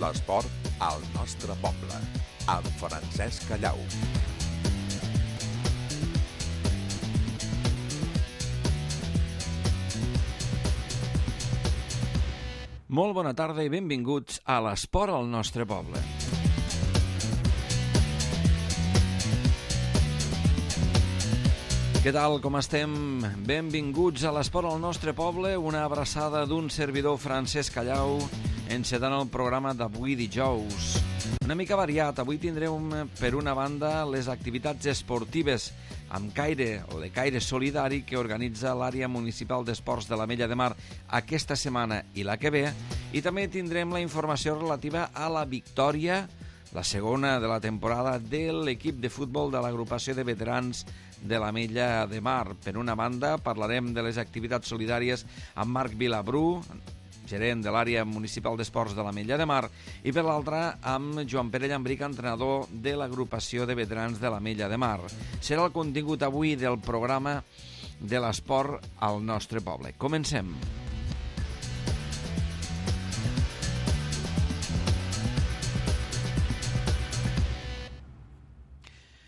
L'esport al nostre poble, amb Francesc Callau. Molt bona tarda i benvinguts a l'esport al nostre poble. Què tal, com estem? Benvinguts a l'esport al nostre poble, una abraçada d'un servidor Francesc Callau, encetant el programa d'avui dijous. Una mica variat, avui tindrem per una banda les activitats esportives amb caire o de caire solidari que organitza l'àrea municipal d'esports de l'Ametlla de Mar aquesta setmana i la que ve, i també tindrem la informació relativa a la victòria, la segona de la temporada, de l'equip de futbol de l'agrupació de veterans de l'Ametlla de Mar. Per una banda, parlarem de les activitats solidàries amb Marc Vilabrú, gerent de l'àrea municipal d'esports de l'Ametlla de Mar, i per l'altra amb Joan Pere Llambric, entrenador de l'agrupació de veterans de l'Ametlla de Mar. Serà el contingut avui del programa de l'esport al nostre poble. Comencem.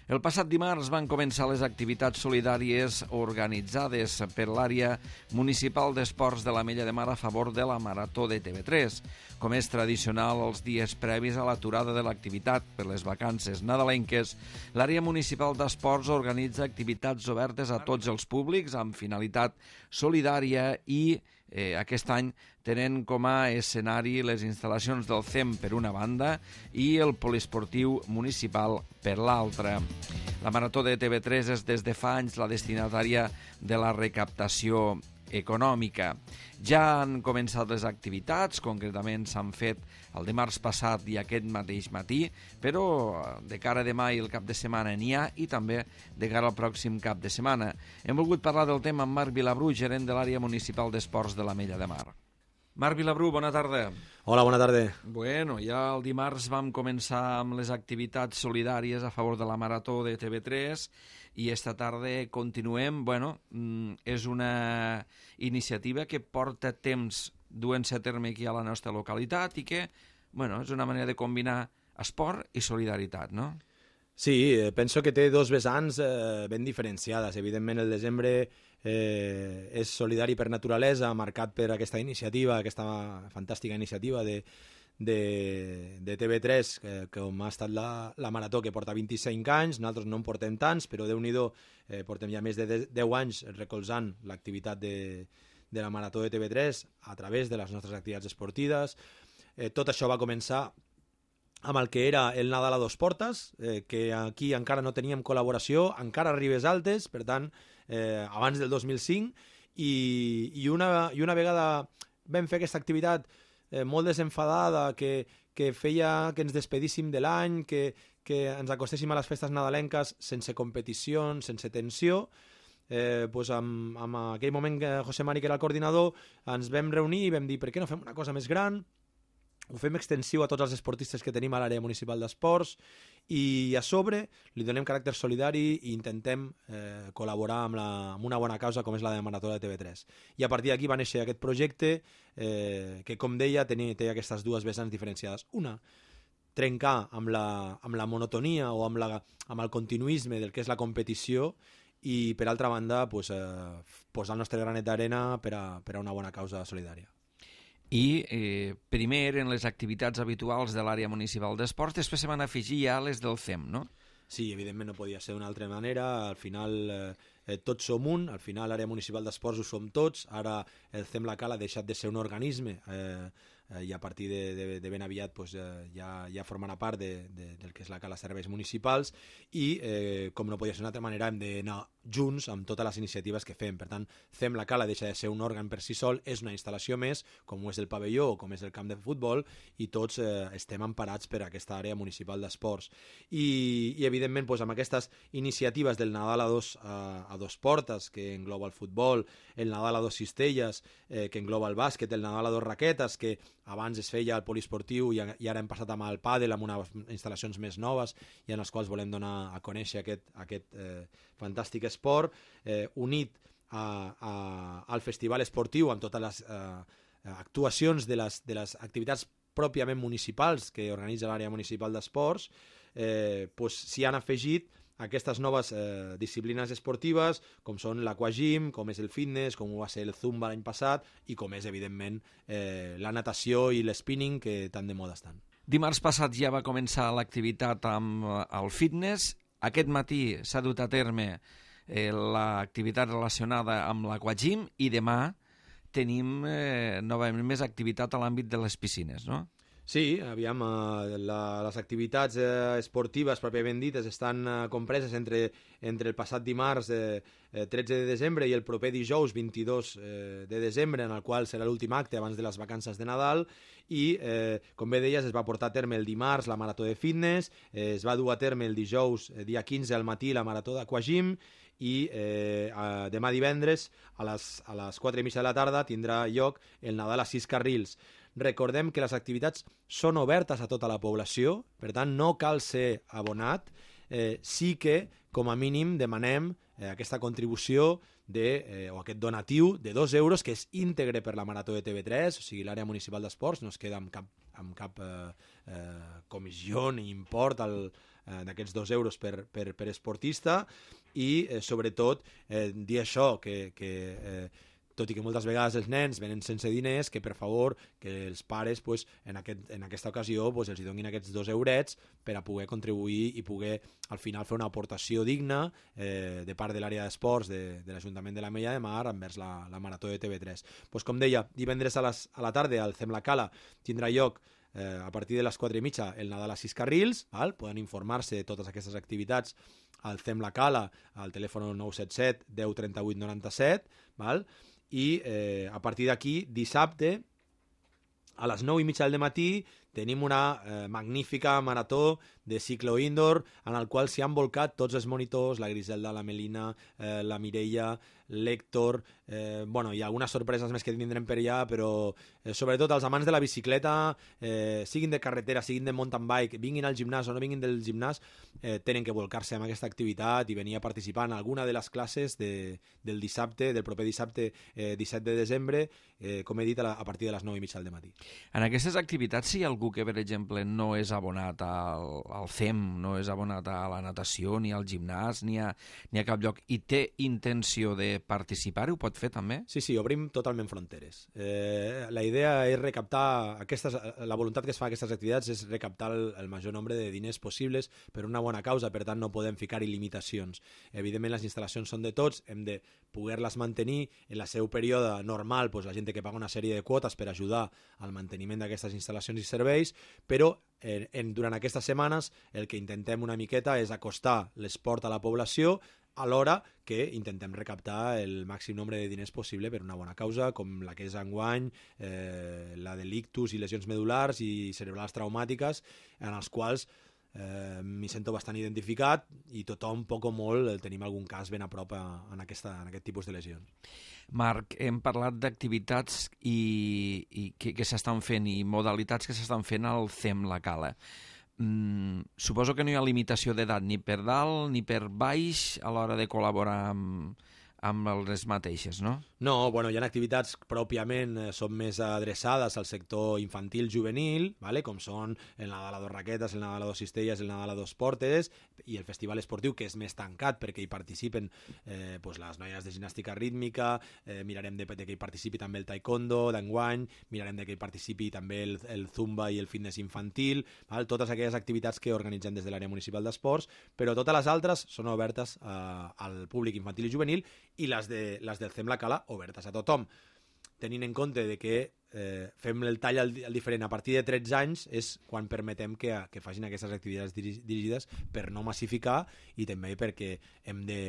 El passat dimarts van començar les activitats solidàries organitzades per l'àrea municipal d'esports de l'Ametlla de Mar a favor de la Marató de TV3. Com és tradicional els dies previs a l'aturada de l'activitat per les vacances nadalenques, l'àrea municipal d'esports organitza activitats obertes a tots els públics amb finalitat solidària i aquest any tenen com a escenari les instal·lacions del CEM per una banda i el poliesportiu municipal per l'altra. La Marató de TV3 és des de fa anys la destinatària de la recaptació econòmica. Ja han començat les activitats, concretament s'han fet el dimarts passat i aquest mateix matí, però de cara a demà i el cap de setmana n'hi ha, i també de cara al pròxim cap de setmana. Hem volgut parlar del tema amb Marc Vilabrú, gerent de l'àrea municipal d'esports de l'Ametlla de Mar. Marc Vilabrú, bona tarda. Hola, bona tarda. Bueno, ja el dimarts vam començar amb les activitats solidàries a favor de la Marató de TV3 i esta tarda continuem. Bueno, és una iniciativa que porta temps duent-se a terme aquí a la nostra localitat i que, bueno, és una manera de combinar esport i solidaritat, no? Sí, penso que té dos vessants ben diferenciades. Evidentment, el desembre és solidari per naturalesa, marcat per aquesta iniciativa, aquesta fantàstica iniciativa de TV3, com ha estat la Marató, que porta 25 anys. Nosaltres no en portem tants, però Déu-n'hi-do, portem ja més de 10 anys recolzant l'activitat de la Marató de TV3 a través de les nostres activitats esportives. Tot això va començar amb el que era el Nadal a dos portes, que aquí encara no teníem col·laboració, encara a Ribes Altes, per tant, abans del 2005, i una vegada vam fer aquesta activitat molt desenfadada, que feia que ens despedíssim de l'any, que ens acostéssim a les festes nadalenques sense competicions, sense tensió, doncs en aquell moment José Mari, que era el coordinador, ens vam reunir i vam dir per què no fem una cosa més gran. Ho fem extensiu a tots els esportistes que tenim a l'àrea municipal d'esports i a sobre li donem caràcter solidari i intentem col·laborar amb una bona causa com és la de Marató de TV3. I a partir d'aquí va néixer aquest projecte que, com deia, té aquestes dues vessants diferenciades. Una, trencar amb la monotonia o amb el continuisme del que és la competició, i per altra banda posar el nostre granet d'arena per a una bona causa solidària. I primer en les activitats habituals de l'àrea municipal d'esports, després se van afegir ja les del CEM, no? Sí, evidentment no podia ser d'una altra manera. Al final tots som un, al final l'àrea municipal d'esports ho som tots. Ara el CEM La Cala ha deixat de ser un organisme i a partir de ben aviat ja formarà part del que és la Cala Serveis Municipals i, com no podia ser d'una altra manera, hem d'anar junts amb totes les iniciatives que fem. Per tant, CEM La Cala deixa de ser un òrgan per si sol, és una instal·lació més, com ho és el pavelló o com és el camp de futbol, i tots estem emparats per aquesta àrea municipal d'esports. I evidentment, amb aquestes iniciatives del Nadal a dos portes, que engloba el futbol, el Nadal a dos cistelles, que engloba el bàsquet, el Nadal a dos raquetes, que abans es feia al poliesportiu i ara hem passat amb el pàdel, amb unes instal·lacions més noves i en les quals volem donar a conèixer aquest fantàstic esport, unit al festival esportiu amb totes les actuacions de les activitats pròpiament municipals que organitza l'àrea municipal d'esports, s'hi han afegit aquestes noves disciplines esportives, com són l'aquagym, com és el fitness, com va ser el zumba l'any passat, i com és, evidentment, la natació i l'spinning, que tan de moda estan. Dimarts passat ja va començar l'activitat amb el fitness. Aquest matí s'ha dut a terme l'activitat relacionada amb l'aquagym i demà tenim novament més activitat a l'àmbit de les piscines, no? Sí, aviam, les activitats esportives pròpiament dites estan compreses entre el passat dimarts 13 de desembre i el proper dijous 22 de desembre, en el qual serà l'últim acte abans de les vacances de Nadal, i, com bé deies, es va portar a terme el dimarts la marató de fitness, es va dur a terme el dijous, dia 15 al matí, la marató d'aquagym, i demà divendres a les 4:30 de la tarda tindrà lloc el Nadal a 6 carrils. Recordem que les activitats són obertes a tota la població, per tant no cal ser abonat, sí que com a mínim demanem aquesta contribució o aquest donatiu de 2 euros que és íntegre per la Marató de TV3, o sigui, l'àrea municipal d'esports no es queda amb cap comissió ni import d'aquests 2 euros per esportista, i sobretot dir això, que tot i que moltes vegades els nens venen sense diners, que per favor que els pares en aquesta ocasió els donin aquests 2 eurets per a poder contribuir i poder al final fer una aportació digna de part de l'àrea d'esports de l'Ajuntament de l'Ametlla de Mar envers la Marató de TV3. Com deia, divendres a la tarda al CEM La Cala tindrà lloc a partir de les 4:30 el Nadal a 6 carrils, poden informar-se de totes aquestes activitats al CEM La Cala al telèfon 977 10 38 97, i a partir d'aquí, dissabte, a les 9:30 del matí, tenim una magnífica marató de ciclo indoor en el qual s'hi han volcat tots els monitors, la Griselda, la Melina, la Mireia, l'Héctor, hi ha algunes sorpreses més que tindrem per allà, però sobretot els amants de la bicicleta, siguin de carretera, siguin de mountain bike, vinguin al gimnàs o no vinguin del gimnàs, tenen que volcar-se amb aquesta activitat i venir a participar en alguna de les classes del dissabte, del proper dissabte 17 de desembre, com he dit, a partir de les 9:30 del matí. En aquestes activitats, si hi ha algú que, per exemple, no és abonat al CEM, no és abonat a la natació, ni al gimnàs, ni a cap lloc, i té intenció de participar, ho pot fer també? Sí, obrim totalment fronteres. La idea és recaptar la voluntat que es fa a aquestes activitats és recaptar el major nombre de diners possibles per una bona causa, per tant no podem ficar-hi limitacions. Evidentment les instal·lacions són de tots, hem de poder-les mantenir en el seu període normal, la gent té que pagar una sèrie de quotes per ajudar al manteniment d'aquestes instal·lacions i serveis, però durant aquestes setmanes el que intentem una miqueta és acostar l'esport a la població, alhora que intentem recaptar el màxim nombre de diners possible per una bona causa, com la que és enguany, la de l'ictus i lesions medulars i cerebrals traumàtiques, en els quals m'hi sento bastant identificat i tothom, poc o molt, tenim algun cas ben a prop en aquest tipus de lesions. Marc, hem parlat d'activitats que s'estan fent i modalitats que s'estan fent al CEM La Cala. Suposo que no hi ha limitació d'edat ni per dalt ni per baix a l'hora de col·laborar amb les mateixes, no? No, hi ha activitats pròpiament són més adreçades al sector infantil-juvenil, com són el Nadal a 2 raquetes, el Nadal a 2 cistelles, el Nadal a 2 portes, i el festival esportiu, que és més tancat perquè hi participen les noies de gimnàstica rítmica, mirarem de que hi participi també el taekwondo d'enguany, mirarem de que hi participi també el zumba i el fitness infantil, totes aquelles activitats que organitzem des de l'àrea municipal d'esports, però totes les altres són obertes al públic infantil i juvenil, i les del CEM La Cala obertes a tothom, tenint en compte de que fem el tall al diferent a partir de 13 anys és quan permetem que facin aquestes activitats dirigides per no massificar i també perquè hem de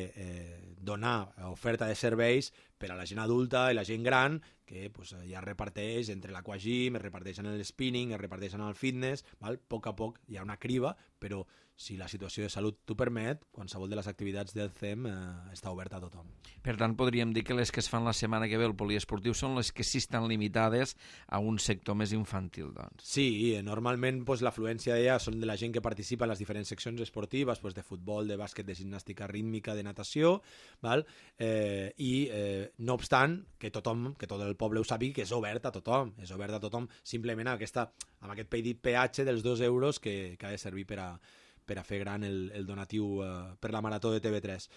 donar oferta de serveis per a la gent adulta i la gent gran que ja es reparteix entre l'aquagym, es reparteix en el spinning, es reparteix en el fitness, a poc a poc hi ha una criba, però si la situació de salut t'ho permet, qualsevol de les activitats del CEM està oberta a tothom. Per tant, podríem dir que les que es fan la setmana que ve al poliesportiu són les que sí estan limitades a un sector més infantil, doncs. Sí, normalment l'afluència d'ella són de la gent que participa en les diferents seccions esportives, de futbol, de bàsquet, de gimnàstica rítmica, de natació, val? No obstant, que tot el poble ho sàpiga, que és obert a tothom, simplement amb aquest petit peatge dels 2 euros que ha de servir per a fer gran el donatiu per la Marató de TV3.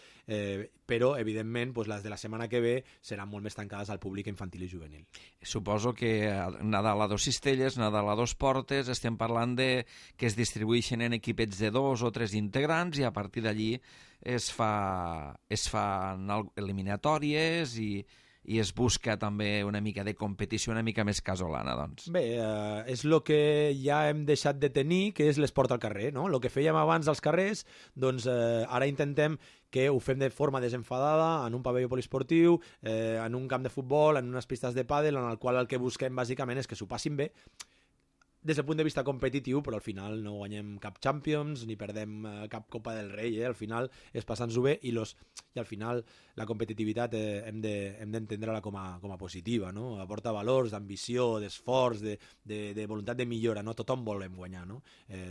Però, evidentment, les de la setmana que ve seran molt més tancades al públic infantil i juvenil. Suposo que Nadal a 2 cistelles, Nadal a 2 portes, estem parlant de que es distribueixen en equipets de 2 o 3 integrants i a partir d'allí es fan eliminatòries i es busca també una mica de competició una mica més casolana, doncs. Bé, és el que ja hem deixat de tenir, que és l'esport al carrer, no? El que fèiem abans als carrers, doncs ara intentem que ho fem de forma desenfadada, en un pavelló poliesportiu, en un camp de futbol, en unes pistes de pàdel, en el qual el que busquem bàsicament és que s'ho passin bé, des del punt de vista competitiu, però al final no guanyem cap Champions ni perdem cap Copa del Rei, al final és passant-s'ho bé i al final la competitivitat hem d'entendre-la com a positiva, no? Aporta valors d'ambició, d'esforç, de voluntat de millora, no? Tothom volem guanyar, no?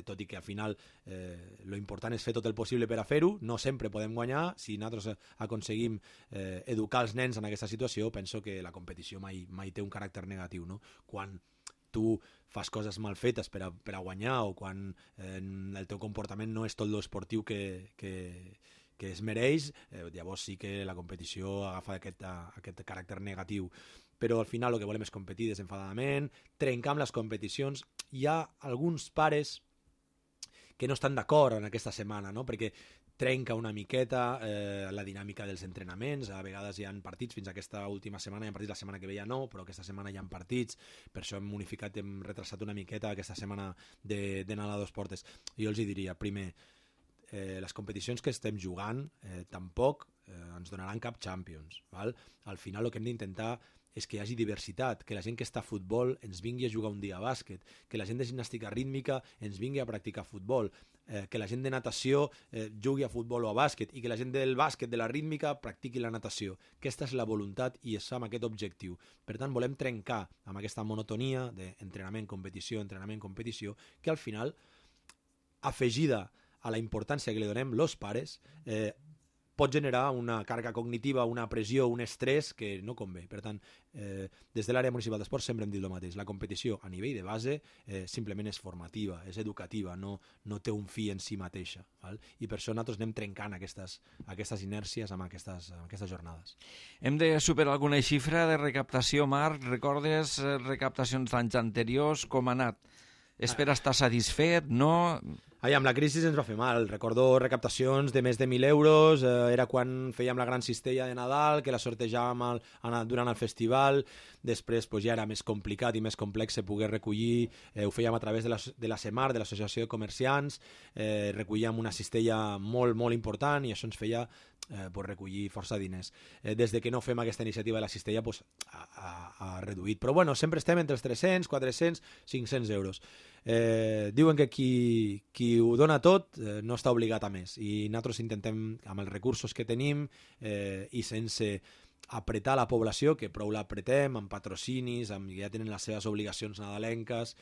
Tot i que al final lo important és fer tot el possible per a fer-ho, no sempre podem guanyar, si nosaltres aconseguim educar els nens en aquesta situació, penso que la competició mai té un caràcter negatiu, no? Quan tu fas coses mal fetes per a guanyar o quan el teu comportament no és tot l'esportiu que es mereix, llavors sí que la competició agafa aquest caràcter negatiu. Però al final el que volem és competir desenfadadament, trencar amb les competicions. Hi ha alguns pares que no estan d'acord en aquesta setmana, no? Perquè trenca una miqueta la dinàmica dels entrenaments. A vegades hi ha partits, fins aquesta última setmana hi ha partits, la setmana que ve ja no, però aquesta setmana hi ha partits, per això hem unificat, hem retrasat una miqueta aquesta setmana de Nadal a 2 portes. Jo els diria, primer, les competicions que estem jugant tampoc ens donaran cap Champions, val? Al final el que hem d'intentar és que hi hagi diversitat, que la gent que està a futbol ens vingui a jugar un dia a bàsquet, que la gent de gimnàstica rítmica ens vingui a practicar futbol, que la gent de natació jugui a futbol o a bàsquet i que la gent del bàsquet, de la rítmica, practiqui la natació. Aquesta és la voluntat i és amb aquest objectiu. Per tant, volem trencar amb aquesta monotonia d'entrenament, competició, que al final, afegida a la importància que li donem els pares, pot generar una càrrega cognitiva, una pressió, un estrès que no convé. Per tant, des de l'àrea municipal d'esport sempre hem dit el mateix. La competició a nivell de base simplement és formativa, és educativa, no té un fi en si mateixa. Val? I per això nosaltres anem trencant aquestes inèrcies amb aquestes jornades. Hem de superar alguna xifra de recaptació, Marc? Recordes recaptacions d'anys anteriors? Com ha anat? És per estar satisfet, no? Amb la crisi ens va fer mal. Recordo recaptacions de més de 1.000 euros, era quan fèiem la gran cistella de Nadal, que la sortejàvem durant el festival, després ja era més complicat i més complex poder recollir, ho fèiem a través de la CEMAR, de l'Associació de Comerciants, recollíem una cistella molt, molt important i això ens feia recollir força diners. Des de que no fem aquesta iniciativa de la cistella ha reduït, però bueno, sempre estem entre els 300, 400, 500 euros. Diuen que qui ho dona tot no està obligat a més i nosaltres intentem, amb els recursos que tenim i sense apretar la població, que prou l'apretem amb patrocinis, amb ja tenen les seves obligacions nadalenques,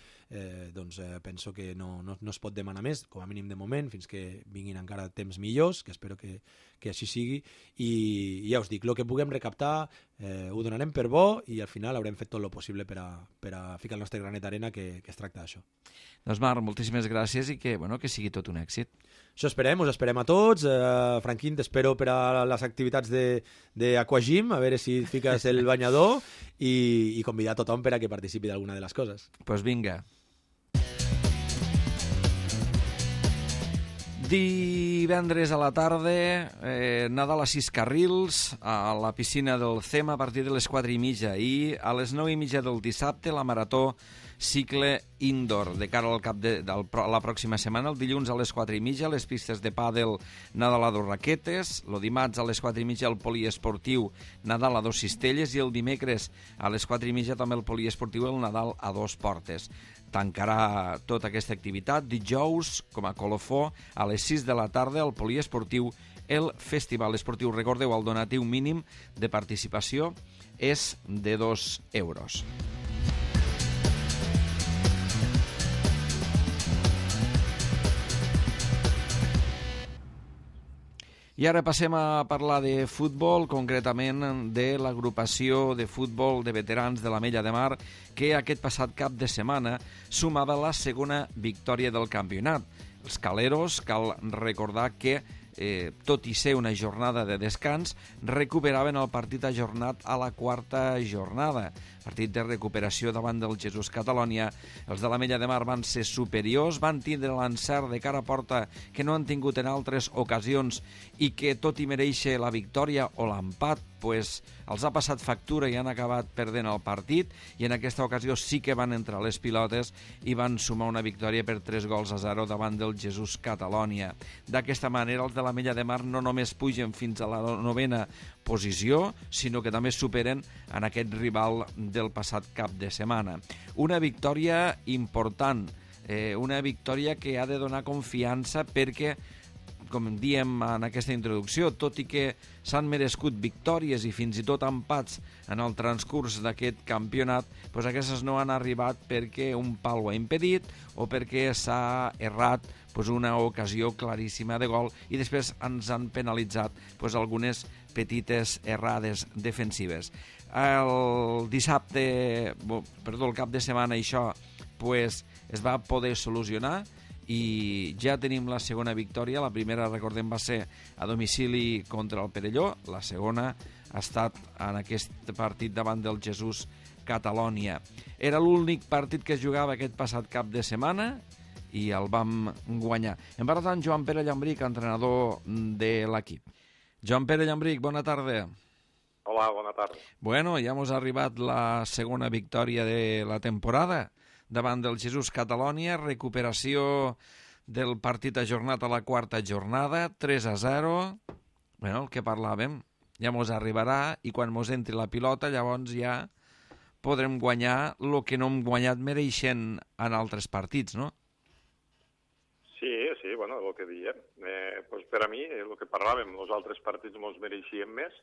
doncs penso que no es pot demanar més, com a mínim de moment, fins que vinguin encara temps millors, que espero que així sigui, i ja us dic, el que puguem recaptar ho donarem per bo i al final haurem fet tot el possible per a ficar el nostre granet d'arena, que es tracta d'això. Doncs Marc, moltíssimes gràcies i que sigui tot un èxit. Això esperem, us esperem a tots. Franquín, t'espero per a les activitats d'Aquagym, a veure si fiques el banyador i convidar a tothom per a que participi d'alguna de les coses. Doncs vinga. Divendres a la tarda, Nadal a 6 carrils, a la piscina del CEM a partir de les 4:30 i a les 9:30 del dissabte la marató cicle indoor de cara al cap de la pròxima setmana. El dilluns a les 4:30 les pistes de pàdel Nadal a 2 raquetes, el dimarts a les 4:30 el poliesportiu Nadal a 2 cistelles i el dimecres a les 4:30 també el poliesportiu el Nadal a 2 portes. Tancarà tota aquesta activitat dijous com a colofó a les 6 de la tarda al poliesportiu el Festival Esportiu. Recordeu, el donatiu mínim de participació és de 2 euros. I ara passem a parlar de futbol, concretament de l'agrupació de futbol de veterans de l'Ametlla de Mar, que aquest passat cap de setmana sumava la segona victòria del campionat. Els caleros, cal recordar que, tot i ser una jornada de descans, recuperaven el partit ajornat a la quarta jornada. Partit de recuperació davant del Jesús Catalònia. Els de l'Ametlla de Mar van ser superiors, van tindre l'encert de cara a porta que no han tingut en altres ocasions i que, tot i mereixer la victòria o l'empat, pues, els ha passat factura i han acabat perdent el partit, i en aquesta ocasió sí que van entrar les pilotes i van sumar una victòria per 3-0 davant del Jesús Catalònia. D'aquesta manera, els de l'Ametlla de Mar no només pugen fins a la 9ª posició, sinó que també superen en aquest rival del passat cap de setmana. Una victòria important, una victòria que ha de donar confiança perquè, com diem en aquesta introducció, tot i que s'han merescut victòries i fins i tot empats en el transcurs d'aquest campionat, doncs aquestes no han arribat perquè un pal ho ha impedit o perquè s'ha errat una ocasió claríssima de gol i després ens han penalitzat algunes petites errades defensives. El cap de setmana això es va poder solucionar i ja tenim la segona victòria. La primera, recordem, va ser a domicili contra el Perelló, la segona ha estat en aquest partit davant del Jesús Catalònia. Era l'únic partit que es jugava aquest passat cap de setmana i el vam guanyar. Hem parlat amb Joan Pere Llambric, entrenador de l'equip. Joan Pere Llambric, bona tarda. Hola, bona tarda. Bueno, ja ens ha arribat la segona victòria de la temporada davant del Jesús Catalònia, recuperació del partit ajornat a la quarta jornada, 3-0. Bueno, el que parlàvem, ja ens arribarà i quan ens entri la pilota llavors ja podrem guanyar el que no hem guanyat mereixent en altres partits, no? Sí, bueno, el que diem. Per a mi, el que parlàvem, els altres partits ens mereixien més.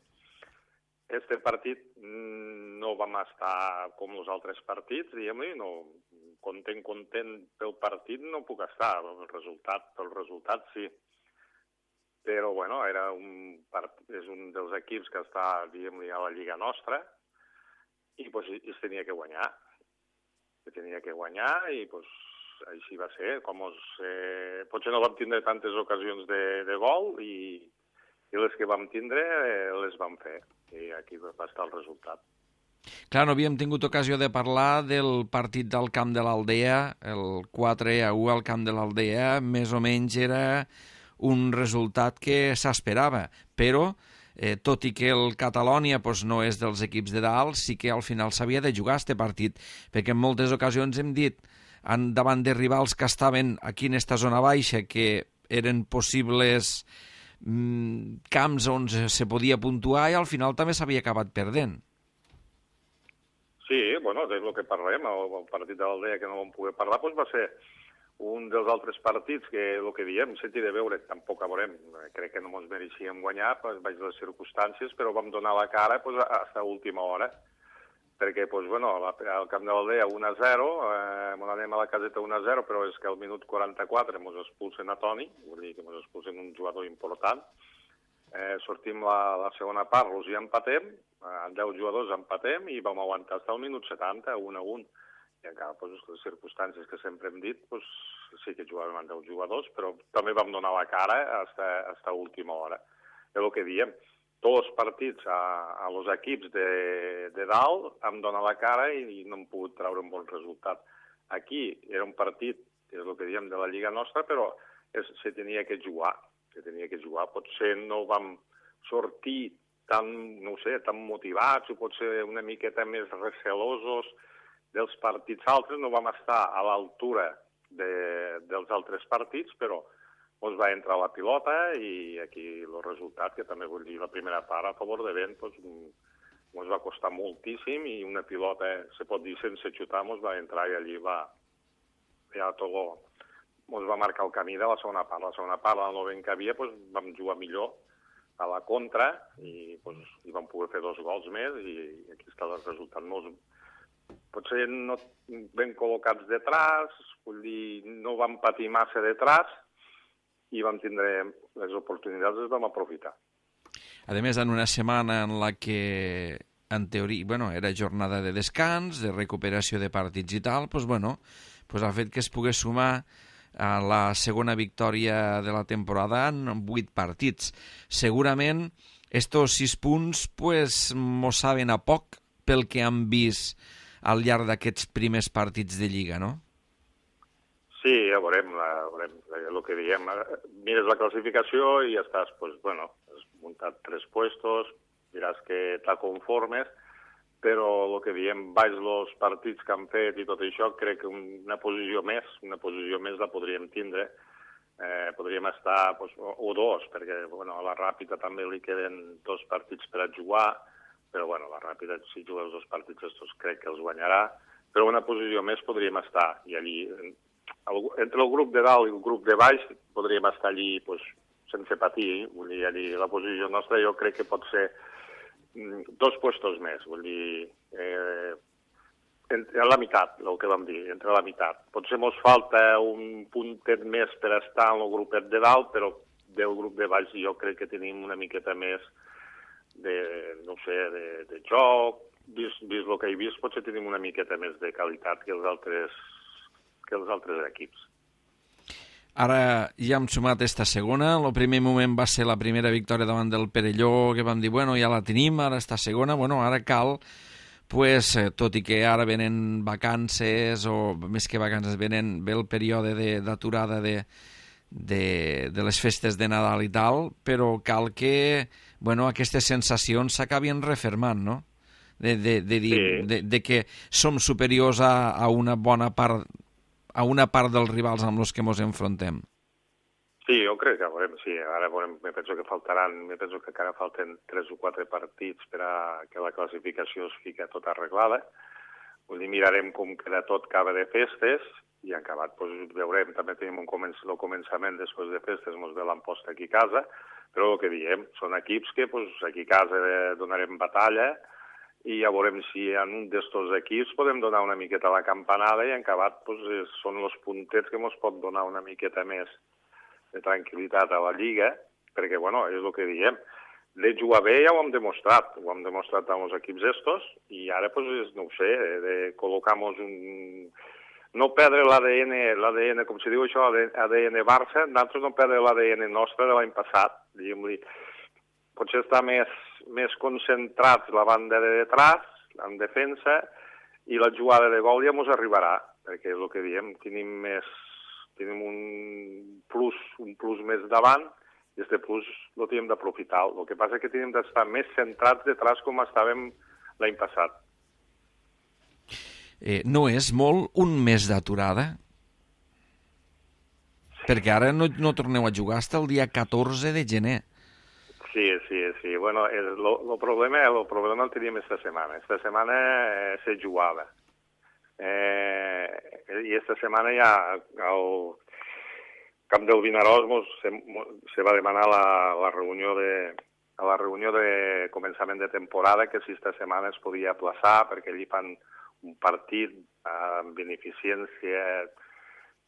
Este partit no vam estar com els altres partits, diguem-li, no, content pel partit no puc estar, pel resultat sí. Però, bueno, és un dels equips que està, diguem-li, a la lliga nostra i es tenia que guanyar. I, així va ser. Potser no vam tindre tantes ocasions de gol i les que vam tindre les vam fer. I aquí va estar el resultat. Clar, no havíem tingut ocasió de parlar del partit del Camp de l'Aldea, el 4-1 al Camp de l'Aldea, més o menys era un resultat que s'esperava, però tot i que el Catalònia no és dels equips de dalt, sí que al final s'havia de jugar este partit, perquè en moltes ocasions hem dit davant de rivals que estaven aquí en esta zona baixa, que eren possibles camps on se podia puntuar i al final també s'havia acabat perdent. Sí, bueno, és el que parlem. El partit de l'Aldea que no vam poder parlar va ser un dels altres partits que, el que diem, sentir de veure, tampoc a veurem. Crec que no ens mereixíem guanyar, baix les circumstàncies, però vam donar la cara fins a última hora. Perquè, al Camp de l'Aldea 1-0, anem a la caseta 1-0, però és que al minut 44 ens expulsen a Toni, vull dir que ens expulsen un jugador important. Sortim la segona part, els hi empatem, amb 10 jugadors empatem i vam aguantar fins al minut 70, 1-1. I encara, les circumstàncies que sempre hem dit, sí que jugàvem amb 10 jugadors, però també vam donar la cara fins a última hora. És el que diem. Tots els partits a els equips de dalt hem donat la cara i no hem pogut treure un bon resultat. Aquí era un partit, és el que diem, de la lliga nostra, però se tenia que jugar. Potser no vam sortir tan motivats o potser una miqueta més recelosos dels partits altres. No vam estar a l'altura dels altres partits, però ens va entrar la pilota i aquí el resultat, que també vull dir, la primera part a favor de vent, ens va costar moltíssim i una pilota, se pot dir, sense xutar, ens va entrar i allí ens va marcar el camí de la segona part. La segona part, al novent que havia, vam jugar millor a la contra i vam poder fer 2 gols més i aquí està el resultat. Potser no ben col·locats detrás, vull dir, no vam patir massa detrás i vam tindre les oportunitats, les vam aprofitar. A més, en una setmana en la que, en teoria, era jornada de descans, de recuperació de partits i tal, el fet que es pogués sumar a la segona victòria de la temporada en 8 partits. Segurament, estos 6 punts mos saben a poc pel que han vist al llarg d'aquests primers partits de Lliga, no? Sí, ja veurem el que diem. Mires la classificació i ja estàs, has muntat 3 puestos, diràs que te conformes, però el que diem, baix els partits que han fet i tot això, crec que una posició més la podríem tindre. Podríem estar, o 2, perquè a la Ràpita també li queden 2 partits per a jugar, però la Ràpida, si juga els 2 partits estos, crec que els guanyarà, però una posició més podríem estar, i allí, entre el grup de dalt i el grup de baix, podríem estar allí sense patir, vull dir, allí la posició nostra jo crec que pot ser 2 puestos més, vull dir, entre la meitat, el que vam dir, entre la meitat. Potser ens falta un puntet més per estar en el grupet de dalt, però del grup de baix jo crec que tenim una miqueta més de joc, vist el que he vist, potser tenim una miqueta més de qualitat que els altres equips. Ara ja hem sumat esta segona. El primer moment va ser la primera victòria davant del Perelló, que vam dir, ja la tenim, ara esta segona, ara cal, tot i que ara venen vacances, o més que vacances, ve el període d'aturada de les festes de Nadal i tal, però cal que aquestes sensacions s'acabin refermant, no? De que som superiors a una bona part dels rivals amb els que ens enfrontem. Sí, jo crec que veurem, sí. Ara veurem, penso que encara falten 3 o 4 partits per a que la classificació es fiqui tota arreglada. Vull dir, mirarem com queda tot acaba de festes i en acabat veurem, també tenim el començament després de festes, ens ve l'emposta aquí a casa, però el que diem, són equips que aquí a casa donarem batalla i ja veurem si en un d'estos equips podem donar una miqueta la campanada i en acabat són els puntets que ens pot donar una miqueta més de tranquil·litat a la Lliga, perquè, és el que diem. De jugar bé ja ho hem demostrat amb els equips estos, i ara, de col·locar-nos no perdre l'ADN, com se diu això, ADN Barça, nosaltres no perdre l'ADN nostre de l'any passat, diguem-li. Potser està més concentrat la banda de detrás, en defensa, i la jugada de gol ja ens arribarà, perquè és el que diem, tenim un plus més davant, i aquest plus el tenim d'aprofitar. El que passa és que tenim d'estar més centrats detrás com estàvem l'any passat. No és molt un mes d'aturada? Perquè ara no torneu a jugar fins el dia 14 de gener. Sí. El problema el teníem esta setmana. Esta setmana se jugava. I esta setmana ja al camp del Vinaròs se va demanar a la reunió de començament de temporada que si esta setmana es podia aplaçar perquè allí fan un partit amb beneficència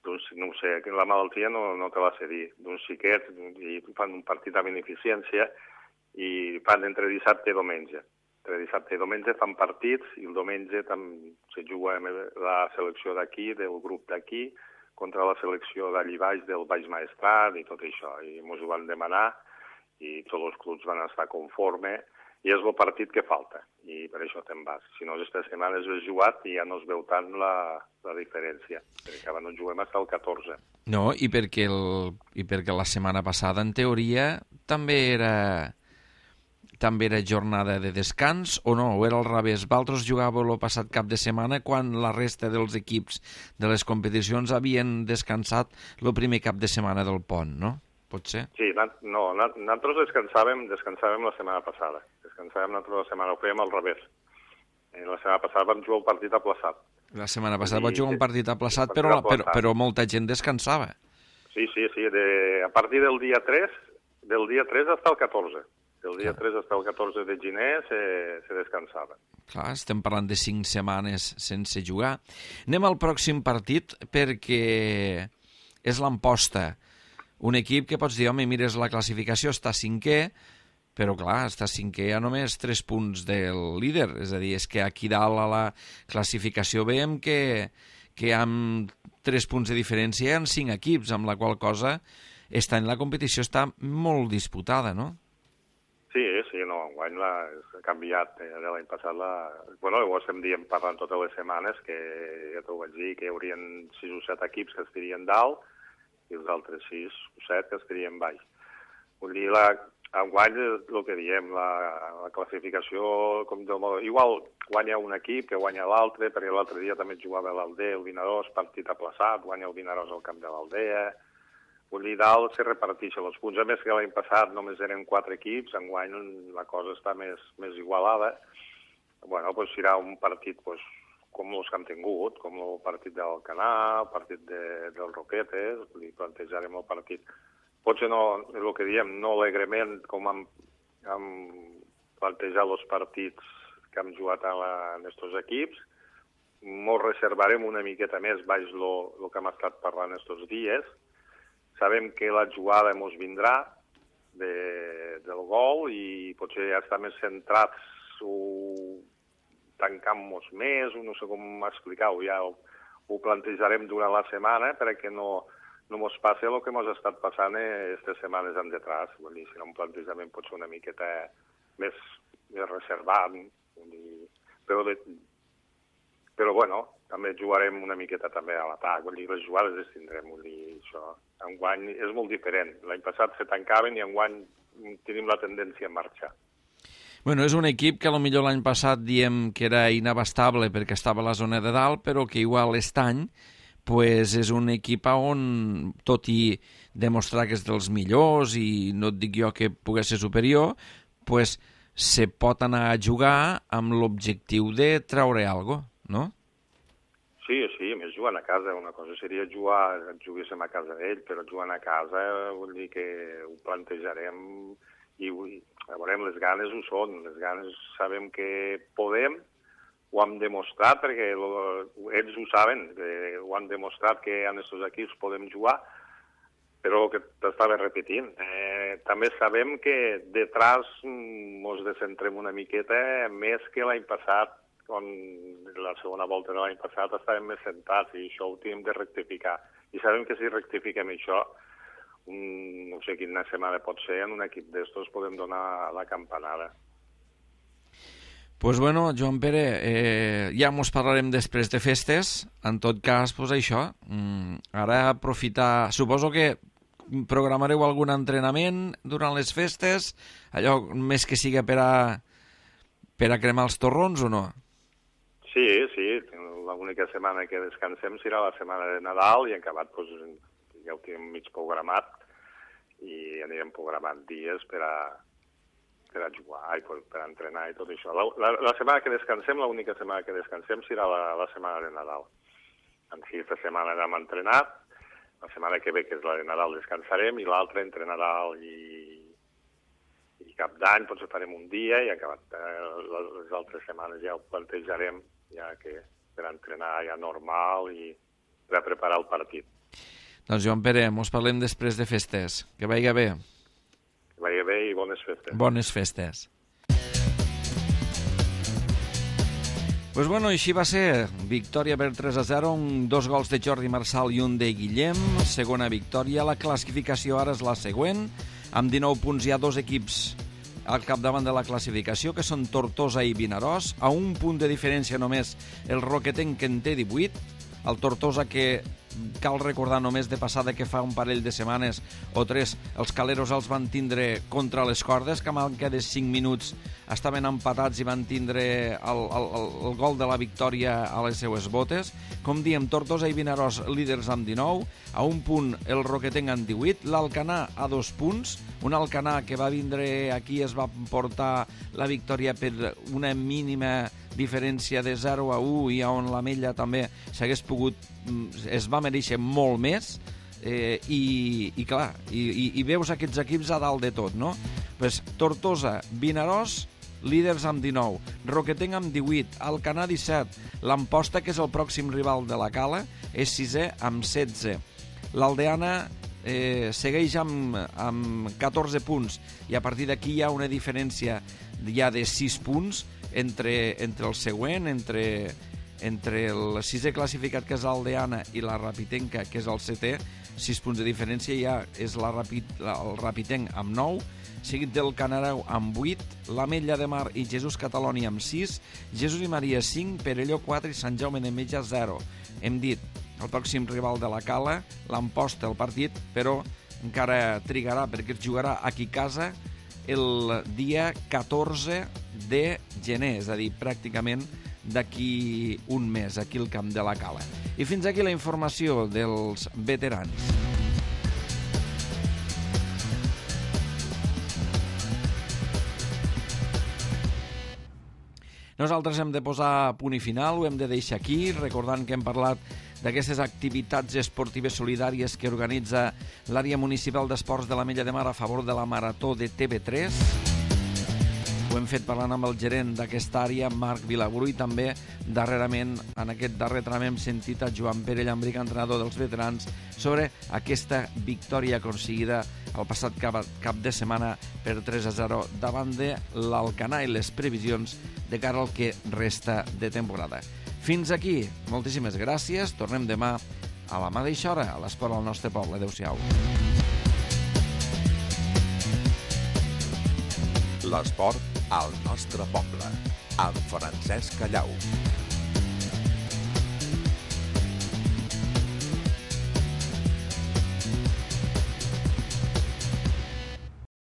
no sé, la malaltia no te la sé dir, d'uns xiquets, i fan un partit a beneficència i fan entre dissabte i diumenge. Entre dissabte i diumenge fan partits i el diumenge se juga la selecció d'aquí, del grup d'aquí, contra la selecció d'allí baix, del Baix Maestrat i tot això. I ens ho van demanar i tots els clubs van estar conformes i és el partit que falta, i per això te'n vas. Si no, aquesta setmana es ve jugat i ja no es veu tant la diferència, perquè ara no juguem fins el 14. No, i perquè la setmana passada, en teoria, també era jornada de descans, o no? O era al revés? Vosaltres jugàveu el passat cap de setmana quan la resta dels equips de les competicions havien descansat el primer cap de setmana del pont, no? Pot ser? Sí, nosaltres descansàvem la setmana passada. Nosaltres la setmana, ho fèiem al revés. La setmana passada vam jugar un partit aplaçat. La setmana passada vam jugar un partit aplaçat, però molta gent descansava. Sí, a partir del dia 3 fins al 14. Del dia 3 fins al 14 de gener se descansava. Clar, estem parlant de 5 setmanes sense jugar. Anem al pròxim partit perquè és l'Amposta. un equip que pots dir, home, mires la classificació, està cinquè, però clar, està cinquè a només 3 punts del líder. És a dir, és que aquí dalt a la classificació veiem que amb 3 punts de diferència hi ha 5 equips, amb la qual cosa la competició està molt disputada, no? Sí, no, enguany ha canviat de l'any passat. Bueno, ho estem parlant totes les setmanes, que ja t'ho vaig dir, que hi haurien 6 o 7 equips que estarien dalt i els altres 6 o 7 que estarien baix. Vull dir, enguany és el que diem, la classificació, igual guanya un equip que guanya l'altre, perquè l'altre dia també jugava l'Aldea, el Vinaròs, partit aplaçat, guanya el Vinaròs al camp de l'Aldea. Vull dir, dalt se reparteixen els punts. A més que l'any passat només eren 4 equips, enguany la cosa està més igualada. Bueno, doncs serà un partit com els que hem tingut, com el partit d'Alcanar, el partit del Roquetes, li plantejarem el partit. Potser no, el que diem, no alegrement com hem plantejat els partits que hem jugat en aquests equips. Ens reservarem una miqueta més baix el que hem estat parlant aquests dies. Sabem que la jugada ens vindrà del gol i potser ja estar més centrats o tancant-nos més, no sé com explicar-ho, ja ho plantejarem durant la setmana perquè no ens passi el que ens ha estat passant aquestes setmanes en detrás. Vull dir, si no un plantejament pot ser una miqueta més reservat, però bueno, també jugarem una miqueta també a l'atac, vull dir, les jugades les tindrem, vull dir, això. Enguany és molt diferent. L'any passat se tancaven i enguany tenim la tendència a marxar. Bueno, és un equip que potser l'any passat diem que era inabastable perquè estava a la zona de dalt, però que igual aquest any pues és un equip on, tot i demostrar que és dels millors i no et dic jo que pogués ser superior, pues se pot anar a jugar amb l'objectiu de treure alguna cosa, no? Sí, a més jugant a casa. Una cosa seria juguéssim a casa d'ell, però jugant a casa vull dir que ho plantejarem i veurem, les ganes ho són. Les ganes sabem que podem, ho hem demostrat perquè ells ho saben, ho han demostrat que en aquests equips podem jugar, però que t'estava repetint. També sabem que detrás ens descentrem una miqueta més que l'any passat, on la segona volta de l'any passat estàvem més sentats i això ho tenim de rectificar. I sabem que si rectifiquem això, no sé quina setmana pot ser, en un equip d'estos podem donar la campanada. Pues bueno, Joan Pere, ja mos parlarem després de festes. En tot cas, pues això, ara aprofitar... Suposo que programareu algun entrenament durant les festes, allò més que siga per a cremar els torrons o no? Sí, l'única setmana que descansem serà la setmana de Nadal i en acabat ja ho tenim mig programat i anirem programant dies per a jugar i per a entrenar i tot això. La setmana que descansem, l'única setmana que descansem serà la setmana de Nadal. En si aquesta setmana hem entrenat, la setmana que ve, que és la de Nadal, descansarem i l'altra entre Nadal i Cap d'Any potser farem un dia i acabat les altres setmanes ja ho plantejarem ja que per entrenar ja normal i per a preparar el partit. Doncs Joan Pere, mos parlem després de festes. Que vagi bé. Que vagi bé i bones festes. Bones festes. Pues bueno, així va ser. Victòria per 3-0, 2 gols de Jordi Marçal i un de Guillem. Segona victòria. La classificació ara és la següent. Amb 19 punts hi ha 2 equips al capdavant de la classificació, que són Tortosa i Vinaròs. A un punt de diferència només el Roquetenc, que en té 18. El Tortosa, que cal recordar només de passada que fa un parell de setmanes o 3 els caleros els van tindre contra les cordes, que a manca de 5 minuts estaven empatats i van tindre el gol de la victòria a les seues botes. Com diem, Tortosa i Vinaròs líders amb 19, a un punt el Roquetenc amb 18, l'Alcanar a 2 punts, un Alcanar que va vindre aquí es va portar la victòria per una mínima diferència de 0-1 i on l'Ametlla també s'hagués pogut, es va mereixer molt més i clar, i veus aquests equips a dalt de tot, no? Pues Tortosa, Vinaròs, líders amb 19, Roquetenc amb 18, Alcanar 17, l'Amposta, que és el pròxim rival de la Cala, és 6è amb 16. L'Aldeana segueix amb 14 punts i a partir d'aquí hi ha una diferència ja de 6 punts entre el següent, entre el sisè classificat, que és l'Aldeana, i la Rapitenca, que és el setè. 6 punts de diferència, ja és el Rapitenc amb 9, seguit del Canareu amb 8, l'Ametlla de Mar i Jesús Cataloni amb 6, Jesús i Maria 5, Perelló 4 i Sant Jaume d'Enveja 0. Hem dit, el pròxim rival de la Cala, l'Amposta el partit, però encara trigarà perquè es jugarà aquí a casa el dia 14 de gener, és a dir, pràcticament d'aquí un mes, aquí al camp de la Cala. I fins aquí la informació dels veterans. Nosaltres hem de posar punt i final, ho hem de deixar aquí, recordant que hem parlat d'aquestes activitats esportives solidàries que organitza l'àrea municipal d'esports de l'Ametlla de Mar a favor de la Marató de TV3. Ho hem fet parlant amb el gerent d'aquesta àrea, Marc Vilaburu, i també darrerament, en aquest darrer tram, hem sentit a Joan Pere Llambric, entrenador dels veterans, sobre aquesta victòria aconseguida el passat cap de setmana per 3-0 davant de l'Alcanar i les previsions de cara al que resta de temporada. Fins aquí, moltíssimes gràcies. Tornem demà a la mateixa hora a l'Esport al nostre poble. Adéu-siau. L'esport al nostre poble, amb Francesc Callau.